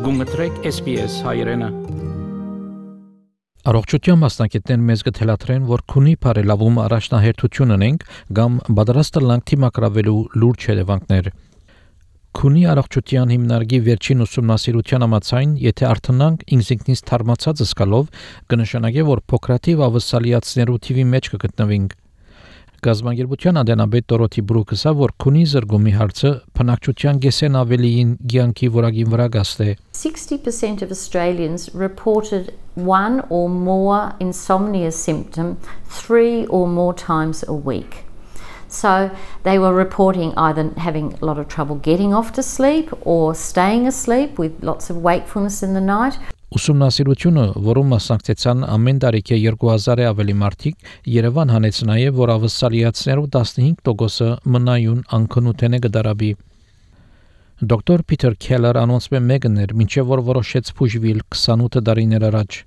Գումտրեք SPS հայրենը։ Առողջության մասնակիցներ մեզ գտելաթրեն, որ քունի բարելավում առաջնահերթություն ունենք կամ պատրաստ լանք թիմակրավելու լուրջ հետևանքներ։ Քունի առողջության հիմնարկի վերջին ուսումնասիրության համաձայն, եթե արթնանք ինքնից թարմացած զգալով, կնշանակի, որ փոքրաթիվ ավասալիացներու թիվի մեջ կգտնվենք։ Գազագերբության անդենաբեդ Դորոթի Բրուքսը, որ քունի զրգումի հարցը բնակչության գեսեն ավելիին գյանքի որակին վրա գաստե։ 60% of Australians reported one or more insomnia symptom 3 or more times a week. So they were reporting either having a lot of trouble getting off to sleep or staying asleep with lots of wakefulness in the night. Ուսումնասիրությունը, որում մասնակցեցան ամեն տարիքի 2000-ը ավելի մարդիկ, Երևան հանեց նաև, որ ավասալիացներու 15%-ը մնայուն անքնութենե գդարաբի։ Դոկտոր Փիթեր Քելլեր անոնցմե մեգներ, մինչև որ որոշեց փուժվել 28 տարիներ առաջ։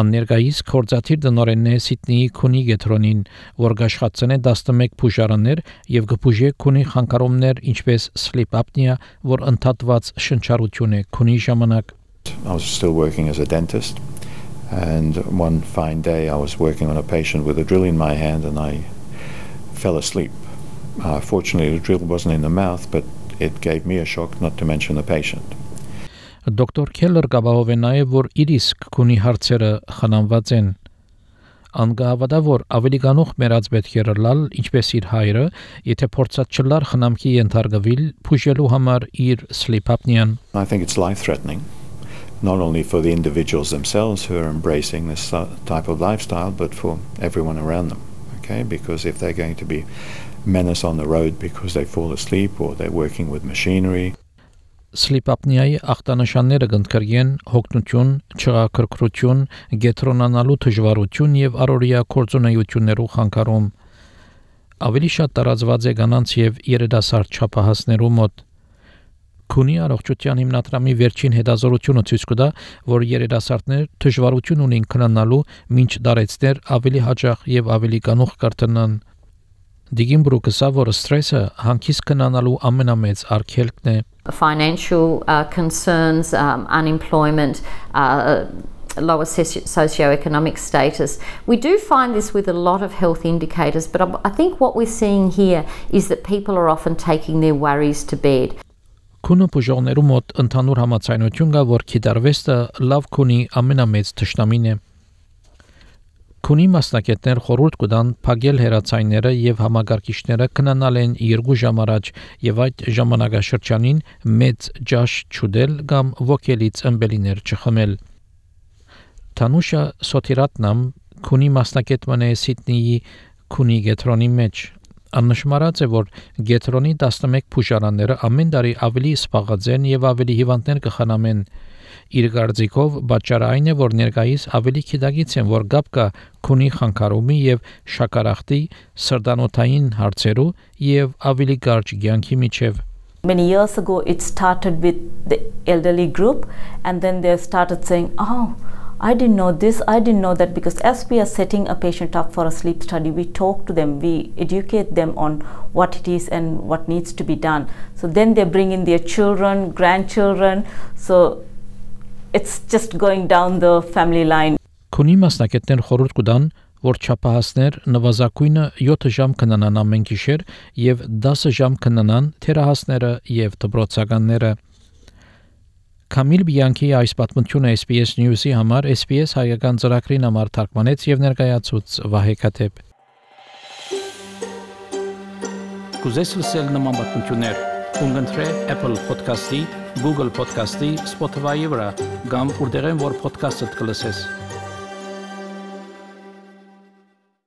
Աններգայիս կորզաթիր դնորենն է Սիդնեի քունի գետրոնին, որ գաշխացնե 11 փուժարաններ եւ կփուժե քունի խանգարումներ, ինչպես sleep apnea, որ ընդհատված շնչառություն է քունի ժամանակ։ I was still working as a dentist, and one fine day I was working on a patient with a drill in my hand and I fell asleep. Fortunately, the drill wasn't in the mouth, but it gave me a shock, not to mention the patient. Դոկտոր Քելլեր գաբահով է նաև, որ իր իսկ քունի հարցերը խնամված են։ Անգահավատա, որ ավելի գանուխ մերած պետք է լալ, ինչպես իր հայրը, եթե փորձած չլար խնամքի ենթարկվել, փուժելու համար իր sleep apnea-ն։ I think it's life-threatening. Not only for the individuals themselves who are embracing this type of lifestyle, but for everyone around them, okay? Because if they're going to be menace on the road because they fall asleep or they're working with machinery. Sleep apnea-ի ախտանշանները կընդգրկեն հոգնություն, չղաքրքրություն, գետրոնանալու դժվարություն եւ առօրյա կորձունեություններու խանգարում։ Ավելի շատ տարածված է կանանց եւ երիտասարդ չափահասներու մոտ։ Քունի առողջության հիմնադրամի վերջին հետազոտությունը ցույց կտա, որ երիտասարդներ դժվարություն ունեն քննանալու, մինչ դարեցներ ավելի հաճախ եւ ավելի կանուխ կրտնան։ Դիգին Բրուքսը, որ սթրեսը հանգիստ քննանալու ամենամեծ արգելքն է։ Financial concerns, unemployment, lower socioeconomic status. We do find this with a lot of health indicators, but I think what we're seeing here is that people are often taking their worries to bed. Քունը բուժողներու մոտ ընդհանուր համաձայնություն կա, որ քիդարվեստը լավ քունի ամենամեծ թշնամին է։ Քունի մասնակիցներ խորհուրդ կտան փակել հեռացայինները եւ համագարկիչները քննանալ են 2 ժամ առաջ եւ այդ ժամանակաշրջանին մեծ ջաշ չուդել կամ ոգելից ըմբելիներ չխմել։ Թանուշա Սոթիրատնամ քունի մասնակիցն է Սիդնեի քունի գետրոնի մեջ։ Աննշմարած է, որ գետրոնի 11 փուժարանները ամեն տարի ավելի սպաղած են եւ ավելի հիվանդներ կխնամեն։ Իր կարծիքով պատճառը այն է, որ ներկայիս ավելի քիդագից են, որ գապ կա քունի խանգարումի եւ շաքարախտի, սրտանոթային հարցերու եւ ավելի կարճ կյանքի միջև։ Many years ago it started with the elderly group and then they started saying, "Oh, I didn't know this, I didn't know that," because as we are setting a patient up for a sleep study, we talk to them, we educate them on what it is and what needs to be done. So then they bring in their children, grandchildren, so it's just going down the family line. Քունի մասնակիցներ խորհուրդ կտան, որ չափահասներ նվազագույնը 7 ժամ քննանան ամեն գիշեր եւ 10 ժամ քննանան թերահասները եւ դպրոցականները։ Կամիլ Բիանքի այս պատմությունը SBS News-ի համար SBS հայկական ծրագրին համար թարգմանեց եւ ներկայացուց Վահե Քաթեփ։ Կուզես լսել նման պատմություններ, կընտրե Apple Podcast-ի, Google Podcast-ի, Spotify-ի վրա, կամ որտեղեն որ podcast-ը կլսես։